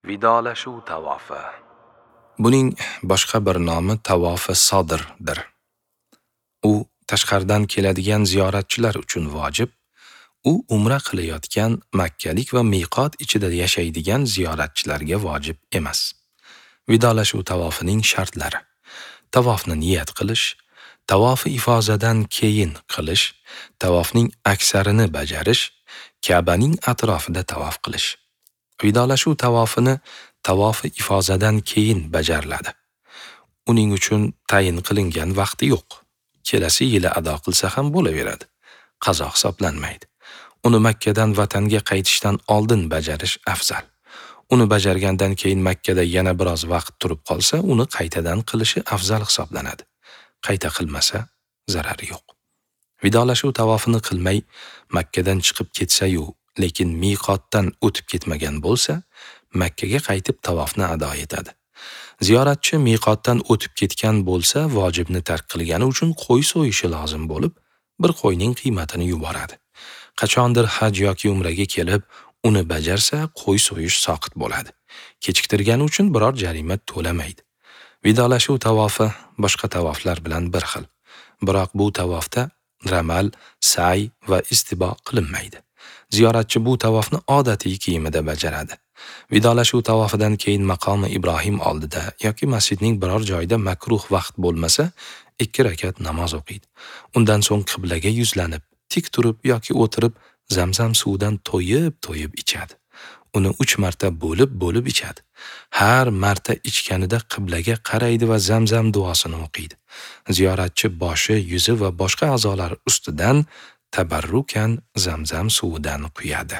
Vidolashuv tavofi. Buning boshqa bir nomi tavofi sodrdir. U tashqaridan keladigan ziyoratchilar uchun vojib, u umra qilayotgan makkalik va miqot ichida yashaydigan ziyoratchilarga vojib emas. Vidolashuv tavofining shartlari: tavofni niyat qilish, tavofi ifozadan keyin qilish, tavofning aksarini bajarish, Ka'baning atrofida tavof qilish. Vidolashuv tavofini tavofi ifozadan keyin bajariladi. Uning uchun tayin qilingan vaqti yo'q. Kelasi yili ado qilsa ham bo'laveradi. Qazo hisoblanmaydi. Uni Makkadan vatanga qaytishdan oldin bajarish afzal. Uni bajargandan keyin Makkada yana biroz vaqt turib qolsa, uni qaytadan qilishi afzal hisoblanadi. Qayta qilmasa zarari yo'q. Vidolashuv tavofini qilmay Makkadan chiqib ketsa-yu, lekin miqotdan o'tib ketmagan bo'lsa, Makkaga qaytib tavofni ado etadi. Ziyoratchi miqotdan o'tib ketgan bo'lsa, vojibni tark qilgani uchun qo'y so'yishi lozim bo'lib, bir qo'yning qiymatini yuboradi. Qachondir haj yoki umraga kelib, uni bajarsa, qo'y so'yish soqit bo'ladi. Kechiktirgani uchun biror jarima to'lamaydi. Vidolashuv tavofi boshqa tavoflar bilan bir xil. Biroq bu tavofda ramal, sa'y va istibo qilinmaydi. Ziyoratchi bu tavofni odatiy kiyimida bajaradi. Vidolashuv tavofidan keyin maqomi Ibrohim oldida yoki masjidning biror joyida makruh vaqt bo'lmasa, 2 rakat namoz o'qiydi. Undan so'ng qiblaga yuzlanib, tik turib yoki o'tirib Zamzam suvidan to'yib-to'yib ichadi. Uni 3 marta bo'lib-bo'lib ichadi. Har marta ichganida qiblaga qaraydi va Zamzam duosini o'qiydi. Ziyoratchi boshi, yuzi va boshqa a'zolari ustidan tabarrukan Zamzam suvidan quyadi.